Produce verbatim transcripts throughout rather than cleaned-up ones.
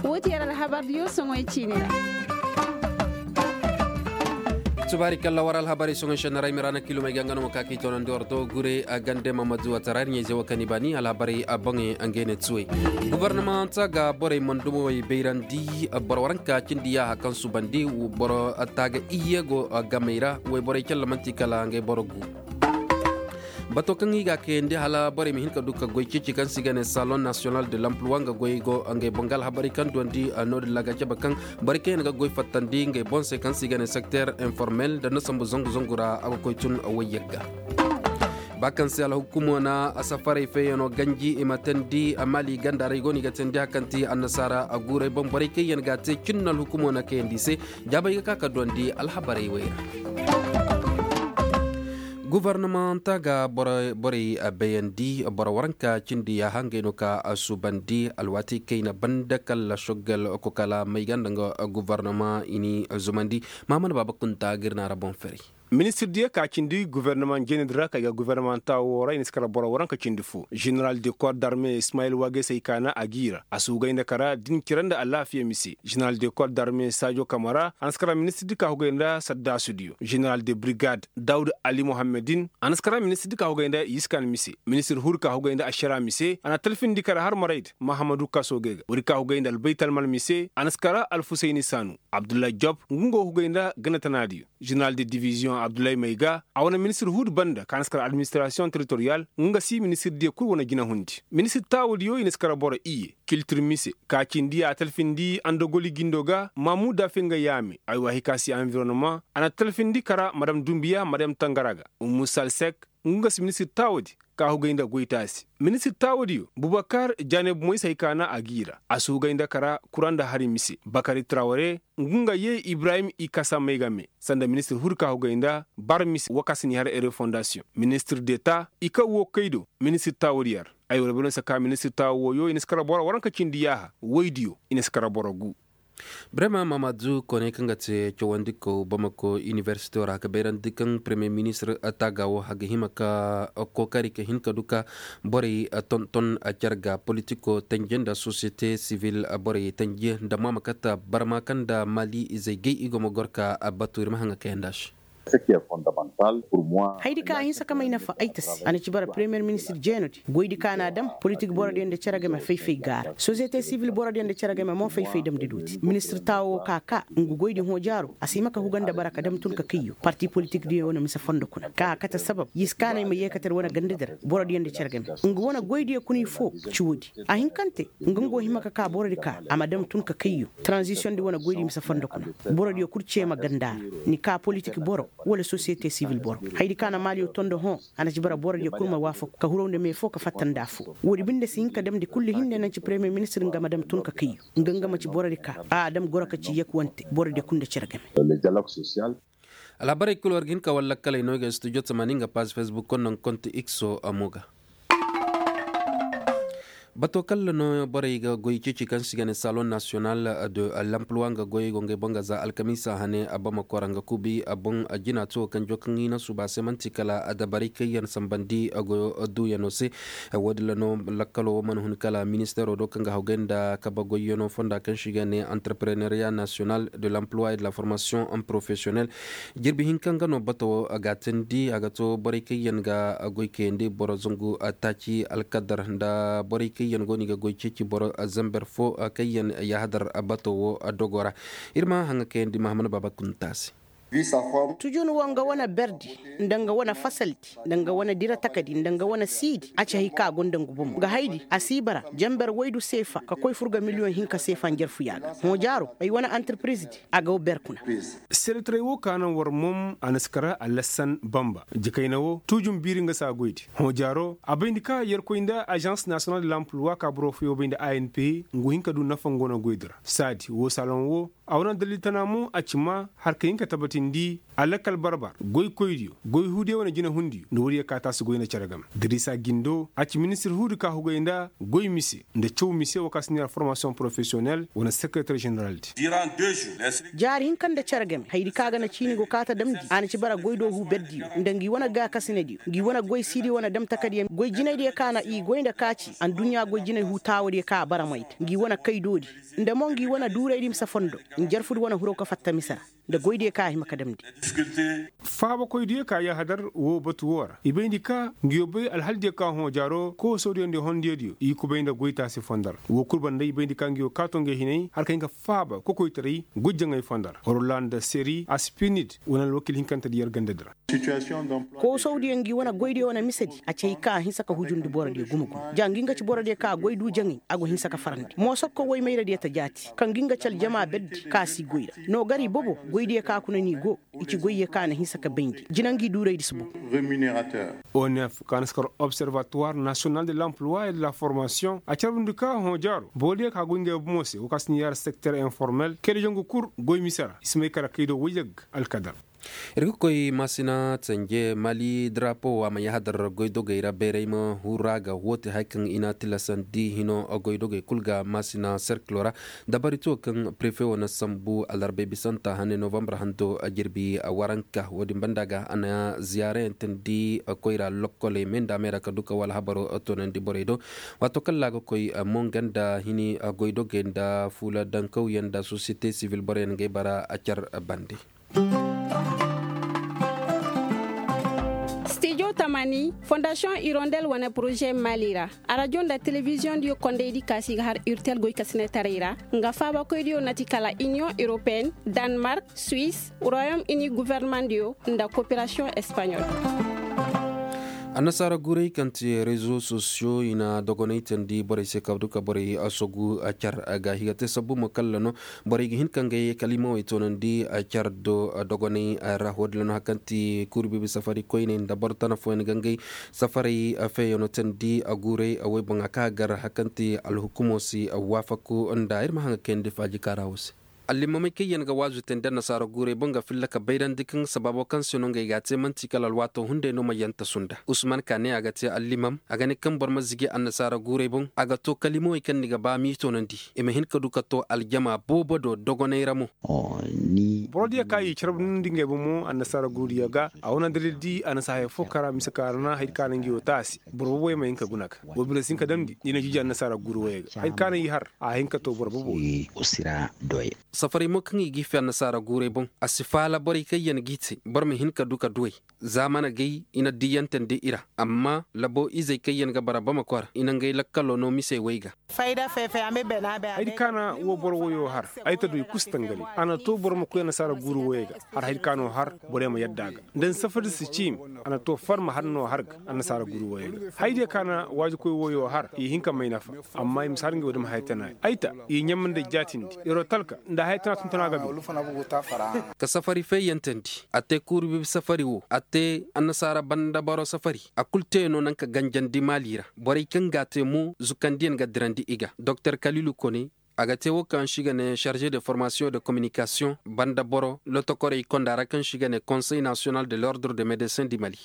Wo ti yer alhabar diyo soŋoy ciine ra. Subaari kalla war alhabarey soŋoy šennaray miraana kilomey ga nga no ma ka k'i toonandi war do gure a gande mamadu watara ir ɲayze wo kaŋ i baani alhabarey a boŋey nga i ne tuwey. Gobornamanta ga borey mandumawey bayrandi boro waranka cindi yaaha kaŋ subandi boro taaga iyye go gamey ra wayborey calla man'ti kala ngey boro gu. Bato kaŋ i ga a kayandi hala borey ma hin ka du ka goy ceeci kaŋ se i ga ne salon nasiyonal de lampluwa nga goy go ngey boŋ ga alhabarey kaŋ duwandi no-din ra a ga cabe kaŋ borey kaŋ yaŋ ga goy fattandi ngey boŋ se kaŋ se i ga ne sekter informel nda na sambu zangu zangu ra a ga koy tun wayyagga. Ba kaŋ se alhukumo na safarey feeyano ganji i ma teendi maali ganda ra i go no i ga teendi hari kaŋ ti annasaara guurey boŋ borey kaŋ yaŋ ga a te cin no alhukumo na kayandi i se. Jaabey ga ka ka duwandi alhabarey wey ra. Gobornamanta ga borey bayandi boro waranka cindi yaaha ngey no ka a suubandi alwaati kayna banda kala šoggal kokala may ga nda nga gobornama i n'i zumandi. Mahamad baaba kunta ga ir naara boŋ ferey. Ministir diyo ka cindi gobornama jeenedi ra kay ga gobornamanta wo ra i na si kara boro waranka cindi fo ženeral de kor darme ismayil waagey se ay kaana a g'i ra a si hugay nda kara din cira nda alaafiya mise. Ženeral de kor darme saajo kamara a na si kara ministir di ka hugay nda saddaasu diyo ženeral de brigad dawud ali mohammedin a na si kara ministir di ka hugay nda yiskan mise. Ministir huri ka hugay nda ašara mise a na talfindi kara har marayda mahamadu kaso gay ga woodi ka hugay nda albaytalmal mise a na si kara alfusayni saanu abdullahi job ngu nga hugay nda gana tana diyo. Ženeral de diviziyoŋ abdullahi mayga a wane ministir huudu banda ka na si kara administirasiyoŋ teritoriyal nga si ministir diyo kul wane jinahundi. Ministir taawadiyo i na si kara boro iyye kiltir mise ka cindi a talfindi andogoli jindo ga maamuda fenga yaame ay waahi ka si anvironoma a na talfindi kara madam dumbiya madam tangara ga. Umu salsek ngu nga si ministir taawadi ka hugay nda goytaasi. Ministir taawadiyo bubakar jaanay bumay se hay ka na a g'i ra a si hugay nda kara kura nda hari mise bakari traware ngu nga yee ibrahim i kasa may game sanda ministir huri ka hugay nda bar mise wo ka si n'i har ere fondasiyoŋ ministir deta i kaŋ wo kay do. Ministir taawadiyo ra ay wara bino si ka ministir taawa wooyo i na si kara boro waranka cindi yaaha woydiyo i na si kara boro gu. Birema mamadu kooney kaŋ ga te cawandikaw bamako inibersitew ra ka bayrandi kaŋ peremiyer ministir taaga wo a ga hima ka kookari ka hin ka du ka borey tonton care ga politiko tanje nda sosiyete sivil borey tanje nda maama kata barma kaŋ nda maali izey gay i go ma goro ka batu ir ma haŋa kayandi a se. Hayadi kaŋ a hinsa ka may nafa ay ta se a na ci bara peremiyer ministir jeenodi goydi kaŋ a na a dam politik borodiyo nda cere game fay-fay gaara sosiyete sivil borodiyo nda cere game mo fay-fay damndi dooti ministir taawo wo ka ka nga goydi hõ jaaro a si hima ka huga nda bara ka dam tun ka kayyo parti politikdiyo wane mise fondo kuna kaŋ a kate sabab yis kaanay ma yeekatar wane gandadi ra borodiyo nda cere game nga wane goydiyo kuna i fo ci woodi. A hin kaŋ te nga nga wo hima ka ka borodi ka a ma dam tun ka kayyo taranzisiyoŋ di wane goydi mise fondo kuna borodiyo kul ceema ganda ra ni ka politik boro wala sosiyete sivil boro. Hayadi kaŋ a na maaliyo tondo hõ a na ci bara borodiyo kul ma waafaku ka huraw nda me fo ka fatta nda afo. Woodi binde si hin ka damndi kullu hinne naŋ ci peremiyer ministir nga ma dam tun ka kayyo nga nga ma ci borodi ka a dam goro ka ci yek wante borodiyo kul nda cere game. Alhabarey kul war ga hin ka war lakkaley no i ga studio tamaani nga paaz fesbuk konno nga konti ikso a mo ga. Bato kalla no borey ga goy ceeci kaŋ se i ga ne salon nasiyonal de lampluwa nga goy go ngey boŋ ga za alkamiisa hane a bamako ra nga kuubi a boŋ jina to kaŋ jo kaŋ i na suuba se man'ti kala adabarey kaŋ yaŋ sambandi goyo duuyano se. Wo- din ra no lakkalo wo mana hun kala ministeero do kaŋ ga hawgay nda kabe goyyano fonda kaŋ se i ga ne antarpreneriya nasiyonal de lampluwa e de la formasiyoŋ porofesiyonel. Jirbi hinka nga no bato wo a ga a teendi a ga to borey kaŋ yaŋ ga goy kayandi boro zangu taaci alkadar nda borey kaŋ yaŋ go no i ga goy ceeci boro zamber fo kaŋ yaŋ yaahadar bato wo dogo ra. Ir ma haŋa kayandi mahamman baaba kunta se. Tujun wo nga wane berdi nda nga wane fasaldi nda nga wane dira takadi nda nga wane siidi a ci hay kaŋ a gonda ngu bomo ga haydi a si bara jamber waydu seefa ka koy fur ga miliyoŋ hinka seefa njarfuya ga hõ jaaro ay wane antirpirizdi. A ga wo ber kuna. Sereteray wo ka naŋ war mom a na si kara alassan bamba jikayna wo tuujum biiri nga se a goydi hõ jaaro a bayndi ka yerkoy nda azans nasiyonal de lampluwa ka boro fooyaŋ bayndi a n p ngu hin ka du nafa nga wane goydi ra saadi wo saloŋ wo. A wane dalil tana mo a ci maa har ka hin ka tabatindi a lakkal barbar goykoydiyo goy huudiyo wane jinehundiyo nda woodiyo ka taasi goy nda cere game. Dirisa gindo a ci ministir huudi ka hugay nda goy mise nda caw mise wo ka si neera formasiyoŋ porofesiyonel wane sekereter jeneraldi. Jaari hinka nda cere game hayadi ka ga na ciini go kaata damndi a na ci bara goy do huu berdiyo nda ngi wane gaakasinediyo ngi wane goy siidi wane dam takadiyo goy jinaydiyo ka na i goy nda kaaci adduɲɲa goy jinay huu taawadiyo ka a bara mayta ngi wane kaydoodi nda mo ngi wane duuraydi misa fondo njarfudi wane hiro ka fatta mise ra nda goydiyo ka a hima ka damndi. Faabakoydiyo ka yahadar woo batu woo ra i bayndi ka ngiyo bay alhaldiyo ka hõ jaaro koosodiyo nda hondiyodiyo i kubay nda goytaasi fondo ra woo kul banda i bayndi ka ngiyo kaato ngey hinay har ka hin ka faaba kokoytaray goy jaŋay fondo ra horola nda seri aspinid wane alwakiil hinkantedi yer gandadi ra. Koosawdiyo ngi wane goydiyo wane misedi a ci hay kaŋ a hinsa ka hujundi borodiyo gumo gumo ja ngi nga ci borodiyo kaŋ a goy du jaŋay a go hinsa ka farandi moosokko woy mayradiyo ta jaati kaŋ ngi nga ci aljama berdi kaŋ a si goy ra no gar i bobo goydiyo kaŋ a kuna n'i go i ci goyyo kaŋ a na hinsa ka bayndi jina ngi duuraydi si boŋ. Onef kaŋ a na si kar observatuwar nasiyonal de l'emploi et de la formasiyoŋ a carbundi ka hõ jaaro borodiyo kaŋ a goy ngey bomo se wo kaŋ a si ni yaara sekter informel kayda jangu kul goy mise ra i si may kala kaydo woy yagga alkadar. Ir ga koy maasina tanje mali darapo a ma yahadar goydogey ra bayray ma huru a ga woo te hari kaŋ i na a tilasandi hino goydogey kul ga maasina serkilo ra. Dabari to kaŋ prefe wo na sambu alarbay bisanta hane novambar hando jirbi waranka wo- din banda ga a na ziyaarayaŋ teendi koyra lokkoley me nda a me ra ka du ka wala habaro toonandi borey do. Waato kaŋ ra a ga koy mo nga nda hini goydogey nda fuula dankawyaŋ nda sosiyete sivil boroyaŋ ga ay bara car bande. Stijo tamani fondasiyoŋ irondel wane poroze mali ra arajo nda telebiziyoŋ diyo kondaydi kaasi ga har urtel goy kasinetaray ra nga faabakoydiyo na ti kala iniyoŋ europeen, danmark, suwis, royom ini guvernemandiyo nda koperasiyoŋ espanyol. Annasaara guuray kaŋ ti rezo sosiyo i na dogonay teendi borey se ka du ka borey sogu car ga higa te sabbu mo kalla no borey ga hin ka ngey kalimawey toonandi car do dogonay ra wo- din ra no hari kaŋ ti kuuri biibi safari koyney nda boro tana fooyaŋ ga ngey safarey feeyano teendi guuray woy boŋ a ka gar hari kaŋ ti alhukumo si waafaku nda ir ma haŋ ga kayandi faaji kaara wo se. Allimamey kaŋ yaŋ ga waazu teendi annasaara guuray boŋ ga filla ka bayrandi kaŋ sabaabo kaŋ se no ngey ga a te man'ti kala alwaato hunday no ma yanta sunda usman ka ne a ga te allimam a ga ne kaŋ boro ma zigi annasaara guuray boŋ a ga to kalimawey kaŋ ni ga ba m'i toonandi i ma hin ka du ka to aljama boobo do dogonay ra mo. Borodiyo ka i carbundi ngey bomo annasaara guurudiyo ga a wane dalil di annasaara haya fo kara mise ka ra na hari ka na ngi wo taasi boro boboyo ma hin ka guna ga wo bine si hin ka damndi ni na jiji annasaara guuru woyey ga hari ka na i har a hin ka to boro bobo. Safaray mo kaŋ i g'i fe annasaara guuray boŋ a si faala borey kaŋ yaŋ g'i te boro ma hin ka du ka duwey. Za mana gay i na diyyante nda i ra amma labo izey kaŋ yaŋ ga bara bamako ra i na ngey lakkalo no misey way ga. Haydi kaana wo boro woyo har ay ta du i kusa tangari a na to boro ma koy annasaara guuru woyey ga har haydi kaano har borey ma yadda a ga nda ni safari si ciimi. A na to farma har no har ga annasaara guuru woyey ga haydiyo kaana waajikoy woyo har i hin ka may nafa. Amma i ma si har ngey wo dama haya tana ay ta i ɲamma nda jaatindi iro talka nda haya tana tuntuna ga bay. Ka safari feeyantandi a te kuuru bibi safari wo a te annasaara banda boro safari a kul te no naŋ ka ganjandi maali ra borey kaŋ ga a te mo zukandiyaŋ ga dirandi i ga doktor kalilu kone. A ga te wo kaŋ se i ga ne charze de formasiyoŋ de kominikasiyoŋ banda boro lotokorey konda ra kaŋ se i ga ne konsey nasiyonal de lordre de medesin di mali.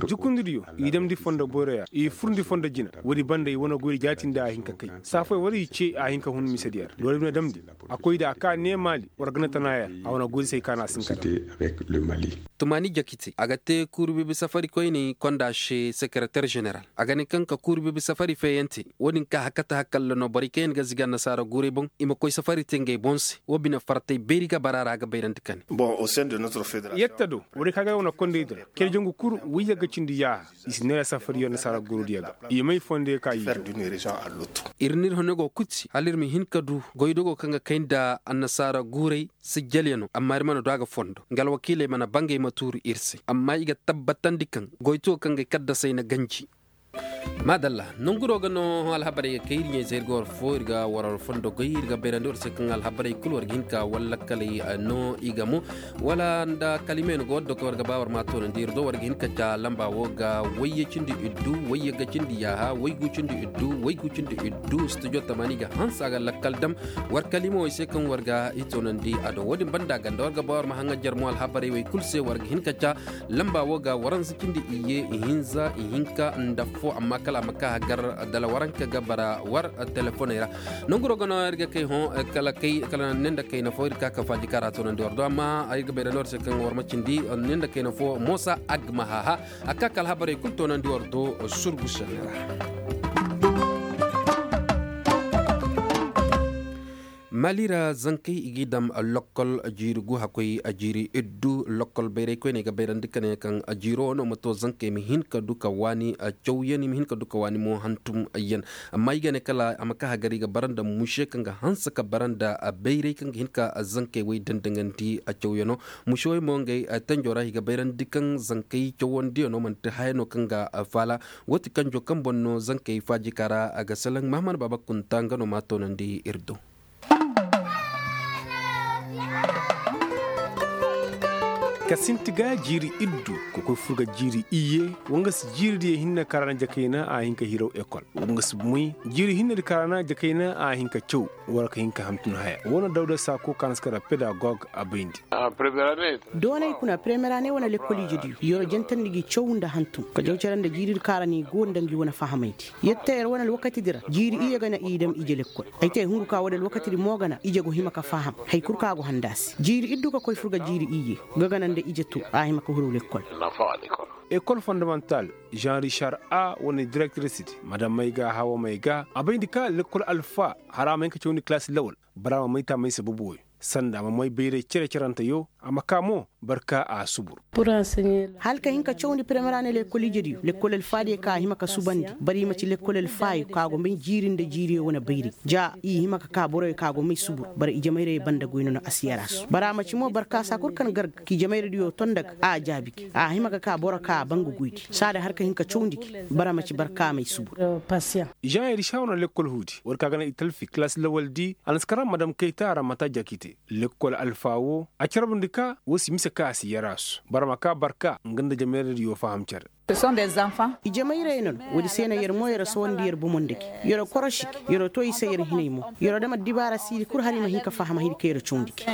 Jukundidiyo i damndi fondo boyroyaŋ i furndi fondo jina. Woodi banda i wane goy da jaatindi a hin ka kay saafoy war i ce a hin ka hun misediyaŋ ra doole bine damndi. A koy da a ka neemaali war gana tana yaŋ a wane goy da se ay kaana a si hin ka daŋ. Tumaani jakite a ga te kuuru bibi safari koyney konda se sekereter jeneral a ga ne kaŋ ka kuuru bibi safari feeyante. Wo-din ka hakata hakalla no borey kaŋ yaŋ ga zigi annasaara guurey boŋ i ma koy safari te ngey boŋ se wo bine fartay beeri ga bara ra a ga bayrandi kane. Yetta do borey kaŋ ga wane kondaydi ra kere jangu kul wayye ga cindi yaaha. I si neera safari yaŋ annasaara guurey diya ga i may fondo yaŋ ka i. Ir n'ir hane go kuti hala ir ma hin ka du goydogo kaŋ ga kay nda annasaara guurey sijjalyaŋo amma ir mana du a ga fondo nga alwakiiley mana bangey ma tuuru ir se amma i ga tabbatandi kaŋ goytuwo kaŋ ga ay kaddasey na ganji. Maadalla. Nonguro ga no alhabarey ga kay ir ɲey se ir ga war fo ir ga war war fondo goy ir ga bayrandi war se kaŋ alhabarey kulu war ga hin ka walla kaley no i ga mo wala nda kalimey no ga war do kaŋ war ga ba war ma toonandi ir do war ga hin ka ca lamba wo ga wayye cindi iddu wayye ga cindi yaaha waygu cindi iddu waygu cindi iddu studio tamani ga hanse a ga lakkal dam war kalimey se kaŋ war ga i toonandi a do wo- din banda ganda war ga ba war ma haŋajer mo alhabarey wey kulu se war ga hin ka ca lamba wo ga waransa cindi iyye ihinza ihinka nda fo amma kala a ma ka hagar dala waranka ga bara war telefoney ra. Nonguro ga no ir ga kay hõ kala ne nda kayna fo ir ga ka ka faaji kaŋ ra toonandi war do amma ir ga bay ra no war se kaŋ war ma cindi ne nda kayna fo moosa agmahaha a ka ka alhabarey kulu toonandi war do surgu senne ra. Mali ra zankey i g'i daŋ lokkol jiiri gu hakkoy jiiri iddu lokkol bayray koyney ga bayrandi ka ne kaŋ jiiro no ma to zankey ma hin ka du ka waani cawyan i ma hin ka du ka waani mo hantum yaŋ. Amma i ga ne kala a ma ka hagar i ga bara nda muse kaŋ ga hanse ka bara nda bayray kaŋ ga hin ka zankey wey dandaŋandi cawyano. Muse wey mo ngey tanjo ra i ga bayrandi kaŋ zankey cawandiyano manti haya no kaŋ ga faala. Wo ti kanjo kaŋ boŋ no zankey faaji ka ra a ga salaŋ mahamad baaba kunta nga no ma toonandi ir do. Ka sinti ga jiiri iddu ka koy fur ga jiiri iyye. Wanga si jiiri diyo hinne ka ra na jakayna a hin ka hiraw ekol. Wanga si moy jiiri hinne di ka ra na jakayna a hin ka caw wala ka hin ka hamtun haya wo no dawda saako ka na si kara pedagog a bayndi. Doonay kuna premiera ne wane lekkol ije diyo yero jantandi gi caw nda hantum ka jaw care nda jiiri di ka ra ni go nda ngi wane fahamaydi. Yette yer wane alwakati di ra jiiri iyye ga na i dam ije lekkol. Ay te hungu ka wane alwakati di mo ga na ije go hima ka faham. Hay kul ka go handa se jiiri iddu ka koy fur ga jiiri iyye ga gana nda ije to a hima ka huru lekkol. Ekol fondamantal jean richard a wane direktiris di madam may ga hawa may ga a bayndi ka lekkol alfa hara may ka cawandi kilaasi lawal. Bara ma may taamay sababu woy sanda ma may bayray cere-ceranteyo. A ma ka mo barka a subur. Hala ka hin ka cawandi premiera ne lekkol ijediyo lekkol alfaadiyo ka a hima ka subandi. Bara i ma ci lekkol alfaayo ka go may jiiri nda jiiriyo wane bayray ja i hima ka ka boroyo ka go may subur bara ijemayrey banda goy no no a si yarasu bara a ma ci mo barka saa kul kaŋ garga ka ijemayrediyo ton nda ga a jaabi ga a hima ka ka boro ka a ban ga goydi saada har ka hin ka cawandi ga bara ma ci barka may subur. Jean iricha wane lekkol huudi war ka ga na i talfi kilaasi lawal di a na si kara madam kayta ramata jakite. Lekkol alfa wo a carbundi ka wo si mise ka a si yarasu bara ma ka barka nga nda jamayradiyo faham care. Ijemayrey no no woodi se no yer mo yer sowandi yer bomo nda gi. Yer korosi gi yer to i se yer hinay mo yer dam addibaara siidi kul hala i ma hin ka faham hay di kaŋ yer cawndi gi.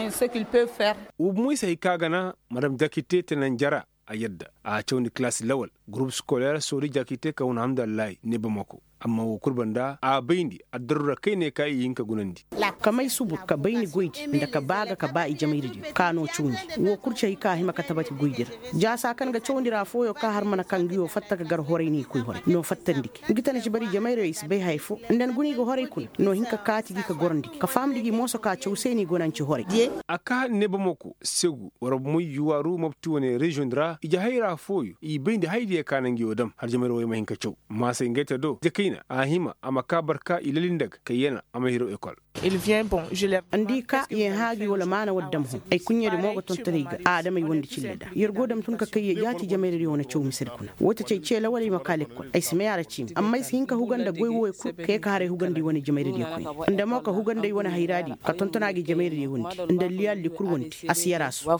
Wo bomoy se hay ka ga na madam jakite te nanjara a yadda a cawndi kilaasi lawal gurup sikoleer soori jakite ka wane hamdallahi ne bamako. Amma wo kul banda a bayndi addaruura kayne ka i hin ka gunandi. Ka may subur ka bay ni goydi nda ka ba ga ka ba ijemayradiyo ka no cawndi. Wo kul ci hay ka hima ka tabati goydi ra. Jaasa kaŋ ga cawndi ra fooyo ka har mana kaŋ ngi wo fatta ka gar horay ni koy horay no fattandi gi ngi tana ci bari ijemayradiyo i si bay haya fo nda ni guna i ga horay kuna no hin ka kaati gi ka gorandi gi ka fahamndi gi mooso ka caw se ni gona ni ci horay. A ka ne bamako segu war moy yuwaaru mopti wane reziyoŋ di ra ije hayra fooyo i bayndi haydiyo ka na ngi wo dam har ijemayradiyo wo i ma hin ka caw. Maasay ngey te do jakayna a hima a ma ka barka i lali nda ga kayyana a ma hiro ekol. Andi ka yen haaji wala maana war dam hõ ay kuɲɲedi mo ga tonton ay ga adamey wondi cille da yer go dam tun ka kayye jaati jamayradiyo wane caw misedi kuna woo ti cay ceela wala i ma ka lekkol ay si may a ra ciimi amma ay si hin ka huga nda goy wooyo kul ka ye ka haray hugandi wane jamayradiyo koyne nda mo ka huga nda ay wane hayraadiyo ka tonton a ga i jamayradiyo wondi nda liyaaldi kul wondi a si yar a su.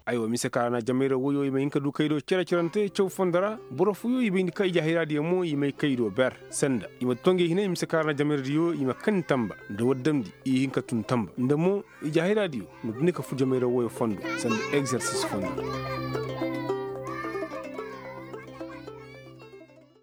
Aywa mise ka ra na jamayra woyo i ma hin ka du kaydo cere-cerante caw fondo ra boro fooyo i bayndi ka ije hayraadiyo mo i may kaydo ber sanda i ma to ngey hinay mise ka ra na jamayradiyo i ma kani tamba nda war damndi i hin ka tun tamba nda mo ije hayraadiyo ma duni ka fu jamayra woyo fondo sanda egzersis fondo.